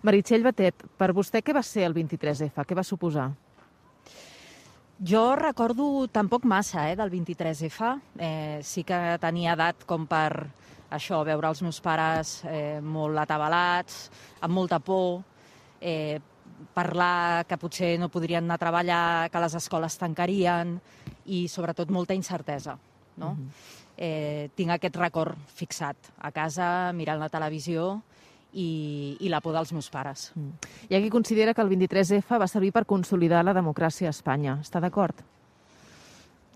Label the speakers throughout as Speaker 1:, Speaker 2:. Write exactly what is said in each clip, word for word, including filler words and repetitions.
Speaker 1: Meritxell Batet, per vostè què va ser el vint-i-tres efa? Què va suposar?
Speaker 2: Jo recordo tampoc massa eh, del vint-i-tres efa. Eh, sí que tenia edat com per això, veure els meus pares eh, molt atabalats, amb molta por, eh, parlar que potser no podrien anar a treballar, que les escoles tancarien i sobretot molta incertesa. No? Uh-huh. eh, tinc aquest record fixat a casa, mirant la televisió i, i la por dels meus pares.
Speaker 1: Mm. Hi ha qui considera que el vint-i-tres efa va servir per consolidar la democràcia a Espanya. Està d'acord?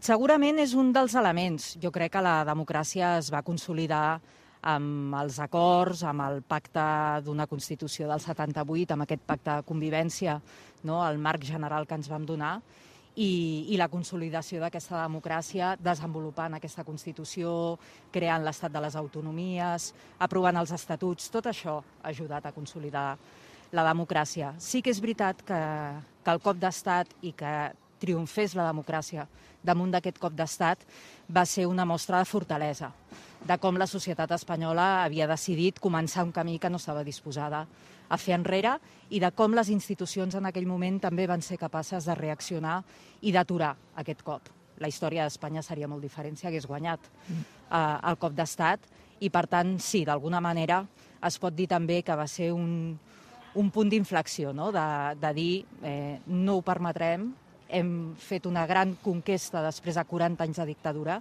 Speaker 2: Segurament és un dels elements. Jo crec que la democràcia es va consolidar amb els acords, amb el pacte d'una Constitució del setanta-vuit, amb aquest pacte de convivència, no? El marc general que ens vam donar, i, i la consolidació d'aquesta democràcia desenvolupant aquesta Constitució, creant l'Estat de les Autonomies, aprovant els estatuts. Tot això ha ajudat a consolidar la democràcia. Sí que és veritat que, que el cop d'estat i que triomfés la democràcia damunt d'aquest cop d'estat va ser una mostra de fortalesa, de com la societat espanyola havia decidit començar un camí que no estava disposada a fer enrere i de com les institucions en aquell moment també van ser capaces de reaccionar i d'aturar aquest cop. La història d'Espanya seria molt diferent si hagués guanyat eh, el cop d'estat i, per tant, sí, d'alguna manera es pot dir també que va ser un, un punt d'inflexió, no? de, de dir eh, no ho permetrem, hem fet una gran conquesta després de quaranta anys de dictadura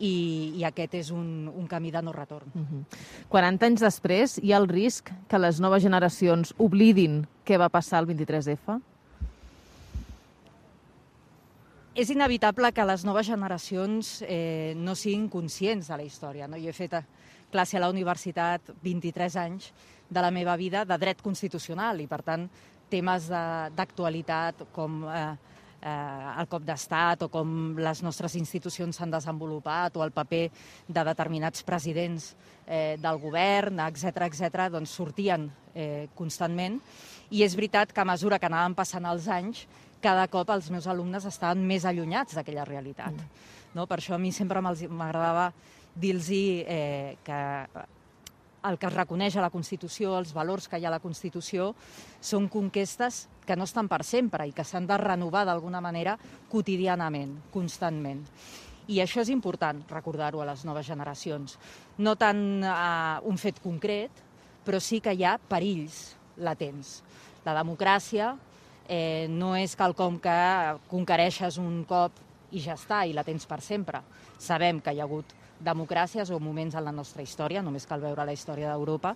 Speaker 2: i, i aquest és un, un camí de no retorn.
Speaker 1: Uh-huh. quaranta anys després, hi ha el risc que les noves generacions oblidin què va passar el vint-i-tres efa?
Speaker 2: És inevitable que les noves generacions eh, no siguin conscients de la història. No? Jo he fet classe a la universitat vint-i-tres anys de la meva vida de dret constitucional i, per tant, temes d'actualitat com eh, eh, el cop d'estat o com les nostres institucions s'han desenvolupat o el paper de determinats presidents eh, del govern, etcètera, etcètera, doncs sortien eh, constantment. I és veritat que a mesura que anaven passant els anys, cada cop els meus alumnes estaven més allunyats d'aquella realitat. Mm. No? Per això a mi sempre m'agradava dir-los eh, que el que es reconeix a la Constitució, els valors que hi ha a la Constitució, són conquestes que no estan per sempre i que s'han de renovar d'alguna manera quotidianament, constantment. I això és important, recordar-ho a les noves generacions. No tant eh, un fet concret, però sí que hi ha perills latents. La democràcia eh, no és quelcom que conquereixes un cop i ja està, i la tens per sempre. Sabem que hi ha hagut democràcies o moments en la nostra història, només cal veure la història d'Europa,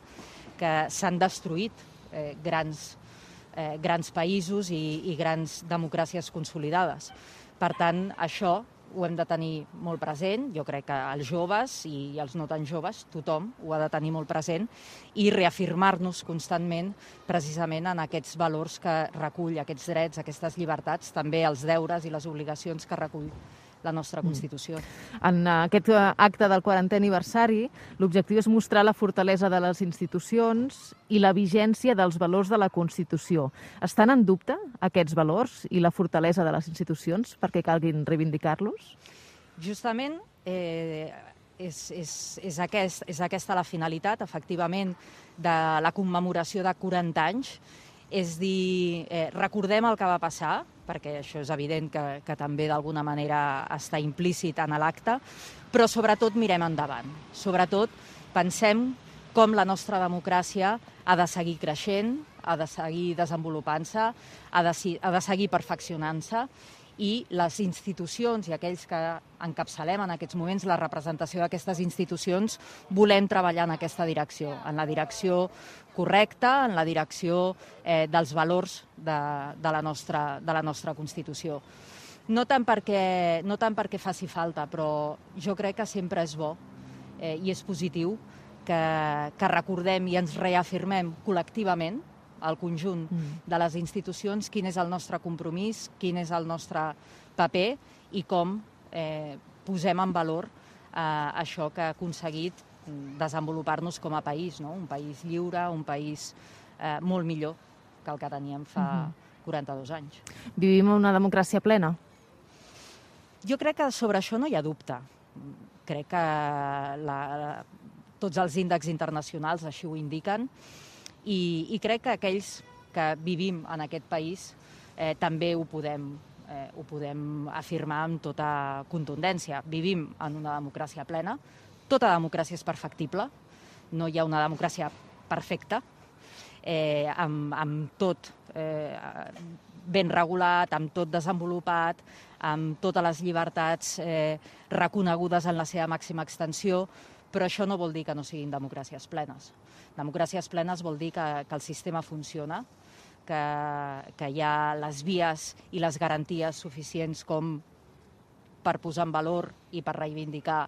Speaker 2: que s'han destruït eh, grans, eh, grans països i, i grans democràcies consolidades. Per tant, això ho hem de tenir molt present. Jo crec que els joves i els no tan joves, tothom ho ha de tenir molt present i reafirmar-nos constantment precisament en aquests valors que recull, aquests drets, aquestes llibertats, també els deures i les obligacions que recull la nostra Constitució.
Speaker 1: En aquest acte del quarantè aniversari, l'objectiu és mostrar la fortalesa de les institucions i la vigència dels valors de la Constitució. Estan en dubte aquests valors i la fortalesa de les institucions perquè calguin reivindicar-los?
Speaker 2: Justament eh, és, és, és, aquest, és aquesta la finalitat, efectivament, de la commemoració de quaranta anys, és dir, eh, recordem el que va passar, perquè això és evident que, que també d'alguna manera està implícit en l'acte, però sobretot mirem endavant. Sobretot pensem com la nostra democràcia ha de seguir creixent, ha de seguir desenvolupant-se, ha, de, ha de seguir perfeccionant-se, i les institucions i aquells que encapçalem en aquests moments la representació d'aquestes institucions volem treballar en aquesta direcció, en la direcció correcta, en la direcció eh, dels valors de, de, la nostra, de la nostra Constitució. No tant perquè, no tant perquè faci falta, però jo crec que sempre és bo eh, i és positiu que, que recordem i ens reafirmem col·lectivament al conjunt de les institucions, quin és el nostre compromís, quin és el nostre paper i com eh, posem en valor eh, això que ha aconseguit desenvolupar-nos com a país, no? Un país lliure, un país eh, molt millor que el que teníem fa quaranta-dos anys.
Speaker 1: Vivim una democràcia plena?
Speaker 2: Jo crec que sobre això no hi ha dubte. Crec que la, tots els índexs internacionals així ho indiquen. I, i crec que aquells que vivim en aquest país eh, també ho podem, eh, ho podem afirmar amb tota contundència. Vivim en una democràcia plena, tota democràcia és perfectible, no hi ha una democràcia perfecta, eh, amb, amb tot eh, ben regulat, amb tot desenvolupat, amb totes les llibertats eh, reconegudes en la seva màxima extensió, però això no vol dir que no siguin democràcies plenes. Democràcies plenes vol dir que, que el sistema funciona, que, que hi ha les vies i les garanties suficients com per posar en valor i per reivindicar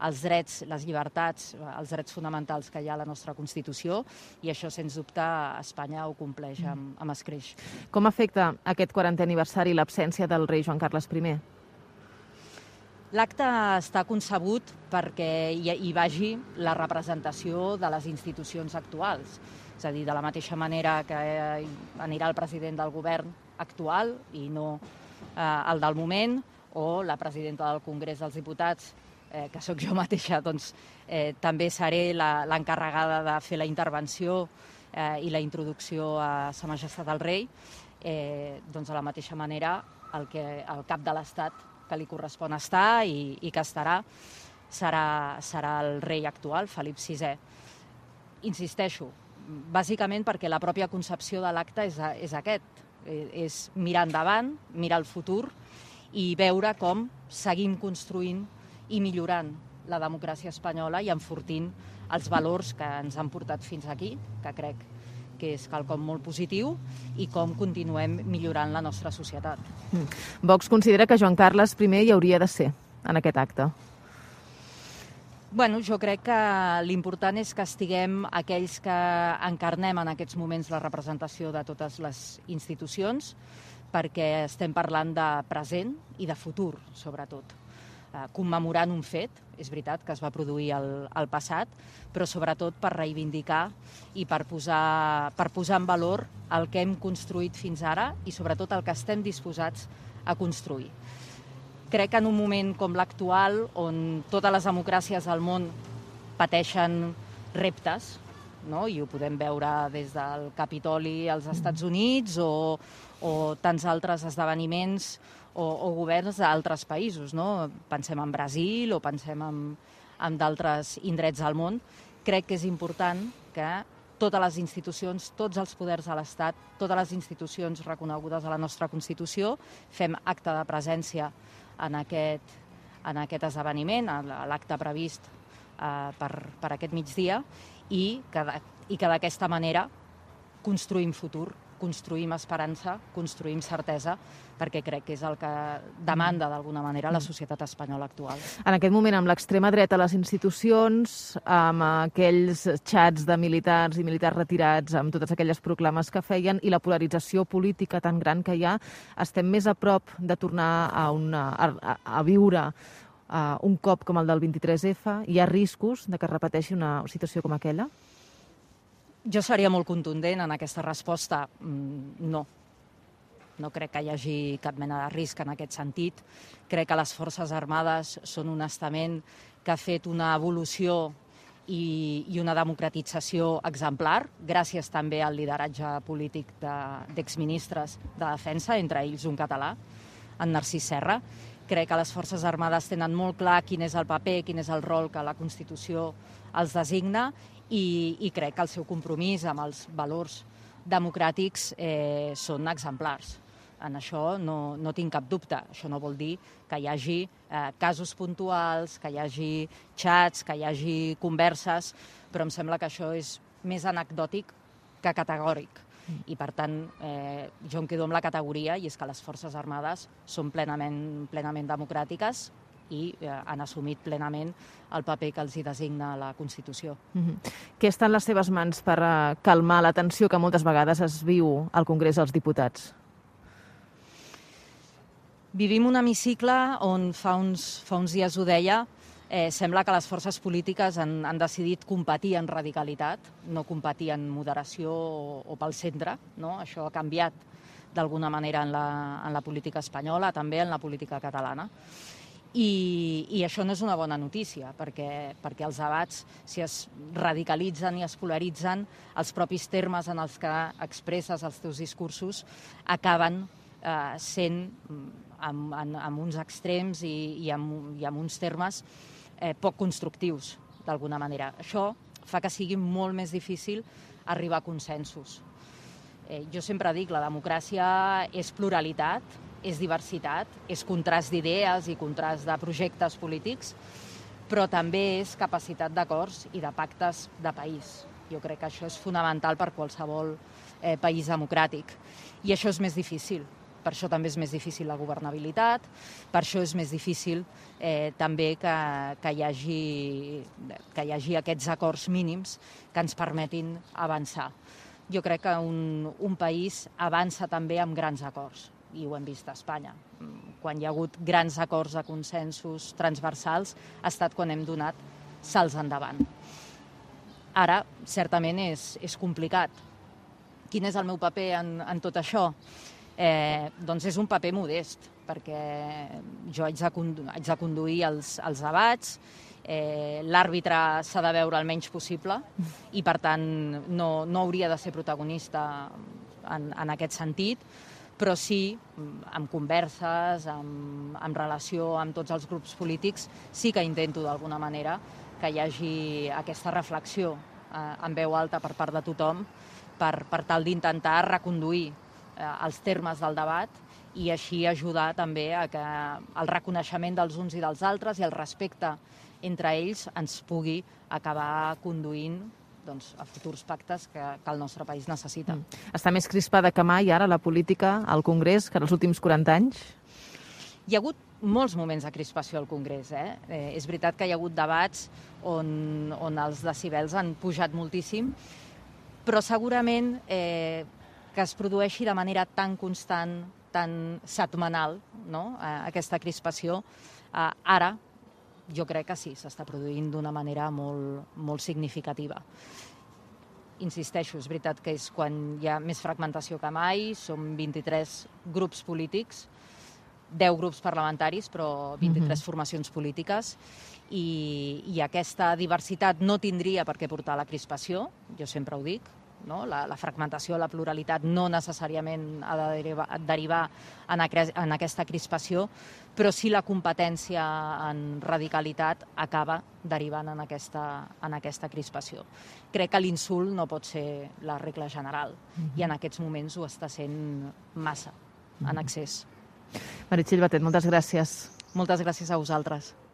Speaker 2: els drets, les llibertats, els drets fonamentals que hi ha a la nostra Constitució, i això, sens dubte, Espanya ho compleix amb, amb escreix.
Speaker 1: Com afecta aquest quarantè aniversari l'absència del rei Joan Carles primer?
Speaker 2: L'acte està concebut perquè hi, hi vagi la representació de les institucions actuals. És a dir, de la mateixa manera que anirà el president del govern actual i no eh, el del moment, o la presidenta del Congrés dels Diputats, eh, que sóc jo mateixa, doncs eh, també seré l'encarregada de fer la intervenció eh, i la introducció a Sa Majestat el Rei. Eh, doncs de la mateixa manera el, que, el cap de l'Estat que li correspon estar i, i que estarà serà, serà el rei actual, Felip sisè. Insisteixo, bàsicament perquè la pròpia concepció de l'acte és, és aquest, és mirar endavant, mirar el futur i veure com seguim construint i millorant la democràcia espanyola i enfortint els valors que ens han portat fins aquí, que crec que és quelcom molt positiu, i com continuem millorant la nostra societat.
Speaker 1: Vox considera que Joan Carles primer hi hauria de ser en aquest acte.
Speaker 2: Bueno, jo crec que l'important és que estiguem aquells que encarnem en aquests moments la representació de totes les institucions, perquè estem parlant de present i de futur, sobretot. Eh, commemorant un fet, és veritat que es va produir al, al passat, però sobretot per reivindicar i per posar, per posar en valor el que hem construït fins ara i sobretot el que estem disposats a construir. Crec que en un moment com l'actual, on totes les democràcies del món pateixen reptes, no? I ho podem veure des del Capitoli als Estats Units o, o tants altres esdeveniments o, o governs d'altres països, no? Pensem en Brasil o pensem en, en d'altres indrets del món. Crec que és important que totes les institucions, tots els poders de l'Estat, totes les institucions reconegudes a la nostra Constitució, fem acte de presència en aquest, en aquest esdeveniment, a l'acte previst eh, per, per aquest migdia, i que, i que d'aquesta manera construïm futur, construïm esperança, construïm certesa, perquè crec que és el que demanda d'alguna manera la societat espanyola actual.
Speaker 1: En aquest moment, amb l'extrema dreta a les institucions, amb aquells xats de militars i militars retirats, amb totes aquelles proclames que feien i la polarització política tan gran que hi ha, estem més a prop de tornar a, una, a, a viure uh, un cop com el del vint-i-tres efa? Hi ha riscos de que es repeteixi una situació com aquella?
Speaker 2: Jo seria molt contundent en aquesta resposta. No. No crec que hi hagi cap mena de risc en aquest sentit. Crec que les Forces Armades són un estament que ha fet una evolució i, i una democratització exemplar, gràcies també al lideratge polític d'exministres de, de defensa, entre ells un català, en Narcís Serra. Crec que les Forces Armades tenen molt clar quin és el paper, quin és el rol que la Constitució els designa, i, i crec que el seu compromís amb els valors democràtics eh, són exemplars. En això no, no tinc cap dubte. Això no vol dir que hi hagi eh, casos puntuals, que hi hagi xats, que hi hagi converses, però em sembla que això és més anecdòtic que categòric. I, per tant, eh, jo em quedo amb la categoria, i és que les Forces Armades són plenament, plenament democràtiques i eh, han assumit plenament el paper que els hi designa la Constitució.
Speaker 1: Mm-hmm. Què està en les seves mans per uh, calmar la tensió que moltes vegades es viu al Congrés dels Diputats?
Speaker 2: Vivim un hemicicle on fa uns, fa uns dies ho deia, eh, sembla que les forces polítiques han, han decidit competir en radicalitat, no competir en moderació o, o pel centre. No? Això ha canviat d'alguna manera en la, en la política espanyola, també en la política catalana. I, i això no és una bona notícia, perquè, perquè els debats, si es radicalitzen i es polaritzen, els propis termes en els que expresses els teus discursos acaben eh, sent amb, amb, amb uns extrems i, i, amb, i amb uns termes eh, poc constructius, d'alguna manera. Això fa que sigui molt més difícil arribar a consensos. Eh, jo sempre dic, la democràcia és pluralitat, és diversitat, és contrast d'idees i contrast de projectes polítics, però també és capacitat d'acords i de pactes de país. Jo crec que això és fonamental per qualsevol eh, país democràtic. I això és més difícil. Per això també és més difícil la governabilitat, per això és més difícil eh, també que, que, hi hagi, que hi hagi aquests acords mínims que ens permetin avançar. Jo crec que un, un país avança també amb grans acords, i ho hem vist a Espanya. Quan hi ha hagut grans acords de consensos transversals ha estat quan hem donat salts endavant. Ara, certament, és, és complicat. Quin és el meu paper en, en tot això? Eh, doncs és un paper modest, perquè jo haig de, condu haig de conduir els, els debats, eh, l'àrbitre s'ha de veure el menys possible i, per tant, no, no hauria de ser protagonista en, en aquest sentit, però sí, amb converses, amb, amb relació amb tots els grups polítics, sí que intento d'alguna manera que hi hagi aquesta reflexió eh, en veu alta per part de tothom per, per tal d'intentar reconduir eh, els termes del debat i així ajudar també a que el reconeixement dels uns i dels altres i el respecte entre ells ens pugui acabar conduint doncs, a futurs pactes que, que el nostre país necessita.
Speaker 1: Mm. Està més crispada que mai ara la política al Congrés que en els últims quaranta anys?
Speaker 2: Hi ha hagut molts moments de crispació al Congrés. Eh? Eh, és veritat que hi ha hagut debats on, on els decibels han pujat moltíssim, però segurament eh, que es produeixi de manera tan constant, tan setmanal, no? eh, aquesta crispació, eh, ara jo crec que sí, s'està produint d'una manera molt, molt significativa. Insisteixo, és veritat que és quan hi ha més fragmentació que mai, som vint-i-tres grups polítics, deu grups parlamentaris, però vint-i-tres mm-hmm. formacions polítiques, i, i aquesta diversitat no tindria per què portar a la crispació, jo sempre ho dic, no? La, la fragmentació, la pluralitat no necessàriament ha de derivar, derivar en, aqu en aquesta crispació, però sí la competència en radicalitat acaba derivant en aquesta, en aquesta crispació. Crec que l'insult no pot ser la regla general, mm-hmm. i en aquests moments ho està sent massa, mm-hmm. en excés.
Speaker 1: Meritxell Batet, moltes gràcies.
Speaker 2: Moltes gràcies a vosaltres.